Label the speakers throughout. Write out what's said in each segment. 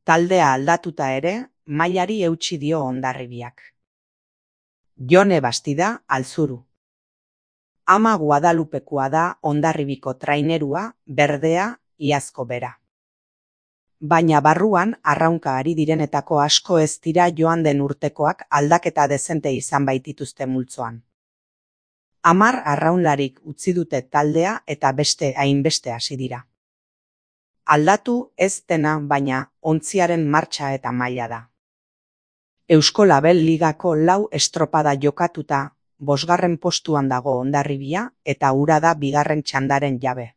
Speaker 1: Taldea aldatuta ere, mailari eutsi dio Hondarribiak. Jone Bastida, Altzuru. Ama Guadalupekoa da Hondarribiko trainerua, berdea, iazko bera. Baina barruan arraunka ari direnetako asko ez dira joan den urtekoak aldaketa dezente izan baitituzte multzoan. 10 arraunlarik utzi dute taldea eta beste hainbeste hasi dira. Aldatu ez dena baina ontziaren martxa eta maila da. Eusko Label Ligako 4 estropada jokatuta, 5. postuan dago Hondarribia eta hura da 2. txandaren jabe.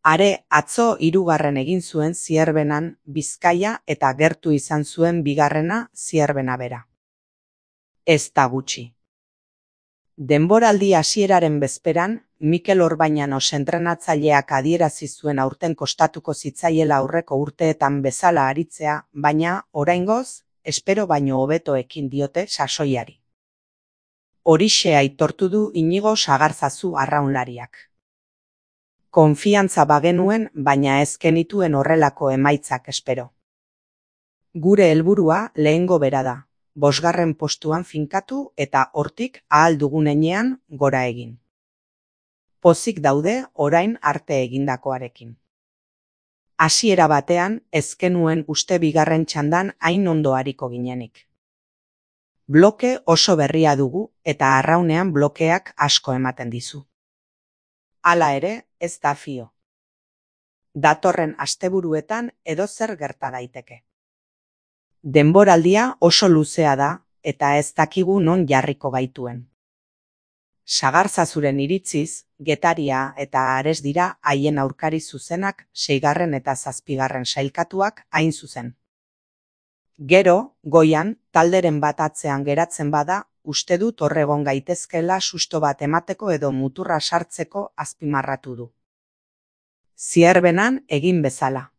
Speaker 1: Are atzo 3. egin zuen Zierbenan Bizkaia eta gertu izan zuen 2. Zierbena bera. Ez da gutxi. Denboraldi hasieraren bezperan, Mikel Orbañanos entrenatzaileak adierazi zuen aurten kostatuko zitzaiela aurreko urteetan bezala aritzea, baina, oraingoz, espero baino hobeto ekin diote sasoiari. Horixe aitortu du Inigo Sagarzazu arraunlariak. Konfiantza bagenuen, baina ez genituen horrelako emaitzak espero. Gure helburua lehengo bera da, 5. postuan finkatu eta hortik ahal dugun heinean gora egin. Pozik daude orain arte egindakoarekin. Hasiera batean ez genuen uste 2. txandan hain ondo ariko ginenik. Bloke oso berria dugu eta arraunean blokeak asko ematen dizu. Hala ere, ez da fio. Datorren asteburuetan edozer gerta daiteke. Denboraldia oso luzea da eta ez dakigu non jarriko gaituen. Sagarzazuren iritziz, Getaria eta Ares dira haien aurkari zuzenak 6. eta 7. sailkatuak hain zuzen. Gero, goian, talderen bat atzean geratzen bada, uste dut hor egon gaitezkela susto bat emateko edo muturra sartzeko azpimarratu du. Zierbenan egin bezala.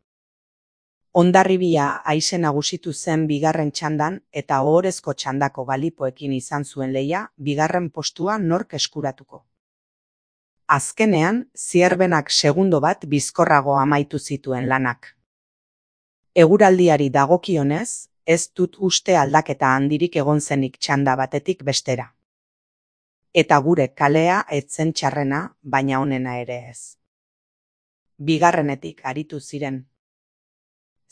Speaker 1: Hondarribia haize nagusitu zen 2. txandan eta ohorezko txandako galipoekin izan zuen lehia 2. postua nork eskuratuko. Azkenean, Zierbenak segundo bat bizkorrago amaitu zituen lanak. Eguraldiari dagokionez, ez dut uste aldaketa handirik egon zenik txanda batetik bestera. Eta gure kalea ez zen txarrena, baina onena ere ez. 2. aritu ziren.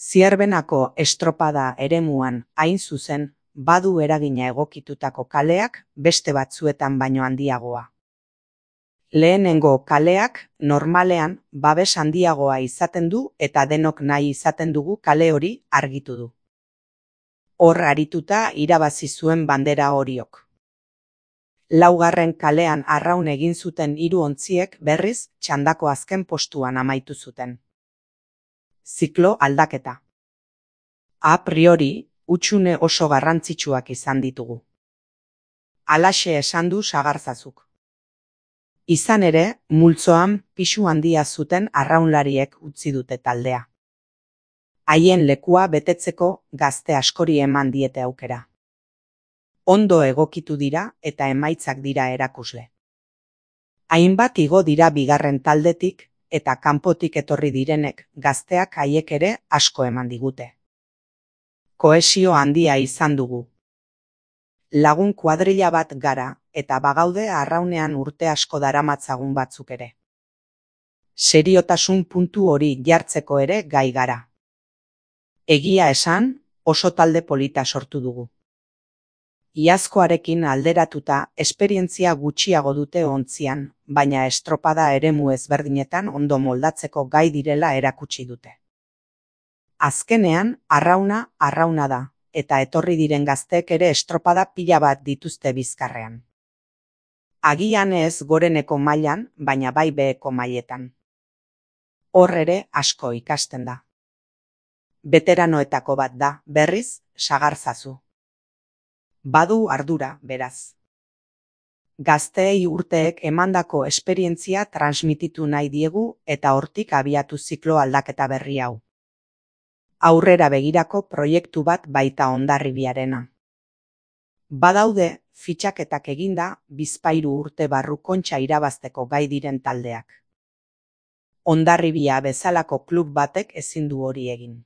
Speaker 1: Zierbenako estropada eremuan hain zuzen, badu eragina egokitutako kaleak beste batzuetan baino handiagoa. Lehenengo kaleak normalean babes handiagoa izaten du eta denok nahi izaten dugu kale hori argitu du. Hor arituta irabazi zuen bandera horiok. 4. kalean arraun egin zuten 3 ontziek berriz txandako azken postuan amaitu zuten. Ziklo aldaketa. A priori, hutsune oso garrantzitsuak izan ditugu. Halaxe esan du Sagarzazuk. Izan ere, multzoan pisu handia zuten arraunlariek utzi dute taldea. Haien lekua betetzeko gazte askori eman diete aukera. Ondo egokitu dira eta emaitzak dira erakusle. Hainbat igo dira 2. taldetik eta kanpotik etorri direnek gazteak haiek ere asko eman digute. Kohesio handia izan dugu. Lagun kuadrilla bat gara eta bagaude arraunean urte asko daramatzagun batzuk ere. Seriotasun puntu hori jartzeko ere gai gara. Egia esan, oso talde polita sortu dugu. Iazkoarekin alderatuta esperientzia gutxiago dute ontzian, baina estropada eremu ezberdinetan ondo moldatzeko gai direla erakutsi dute. Azkenean, arrauna da, eta etorri diren gazteek ere estropada pila bat dituzte bizkarrean. Agian ez goreneko mailan, baina bai beheko mailetan. Hor ere asko ikasten da. Beteranoetako bat da, berriz, Sagarzazu. Badu ardura, beraz. Gazteei urteek emandako esperientzia transmititu nahi diegu eta hortik abiatu ziklo aldaketa berri hau. Aurrera begirako proiektu bat baita Hondarribiarena. Badaude, fitxaketak eginda, 2 urte barru kontxa irabazteko gai diren taldeak. Hondarribia bezalako klub batek ezin du hori egin.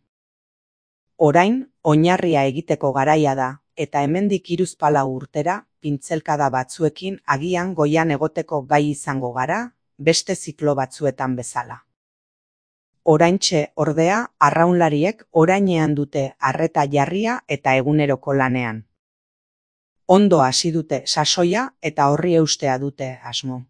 Speaker 1: Orain, oinarria egiteko garaia da, eta hemendik 3-4 urtera, pintzelkada batzuekin agian goian egoteko gai izango gara, beste ziklo batzuetan bezala. Oraintxe, ordea, arraunlariek orainean dute arreta jarria eta eguneroko lanean. Ondo hasi dute sasoia eta horri eustea dute asmo.